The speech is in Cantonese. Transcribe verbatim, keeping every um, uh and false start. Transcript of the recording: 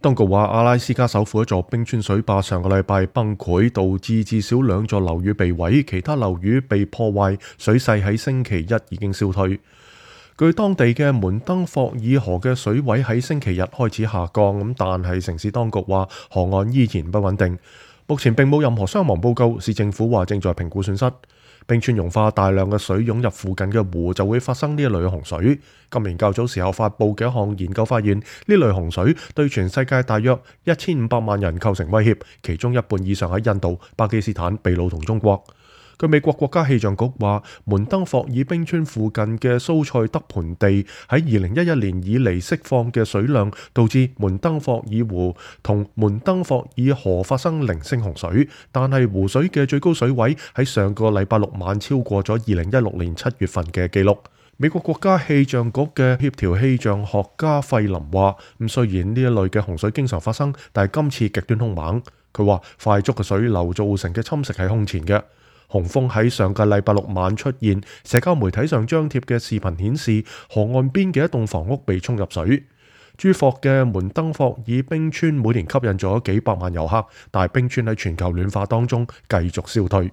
當局話，阿拉斯加首府一座冰川水壩上個禮拜崩潰，導致至少兩座樓宇被毀，其他樓宇被破壞，水勢喺星期一已經消退。據當地嘅門登霍爾河嘅水位喺星期日開始下降，咁但係城市當局話河岸依然不穩定。目前並冇任何傷亡報告，市政府話正在評估損失。冰川融化，大量嘅水湧入附近嘅湖，就會發生呢一類洪水。今年較早時候發布嘅一項研究發現，呢類洪水對全世界大約一千五百萬人構成威脅，其中一半以上喺印度、巴基斯坦、秘魯同中國。據美國國家氣象局話，門登霍爾冰川附近嘅蘇塞德盆地喺二零一一年以嚟釋放嘅水量，導致門登霍爾湖同門登霍爾河發生零星洪水，但係湖水嘅最高水位喺上個禮拜六晚超過咗二零一六年七月份嘅記錄。美國國家氣象局嘅協調氣象學家費林話，咁雖然呢一類嘅洪水經常發生，但係今次極端兇猛。佢話快速嘅水流造成嘅侵蝕係空前嘅。洪峰喺上個禮拜六晚出現，社交媒體上張貼嘅視頻顯示，河岸邊嘅一棟房屋被沖入水。珠霍嘅門登霍爾冰川每年吸引咗幾百萬遊客，但係冰川喺全球暖化當中繼續消退。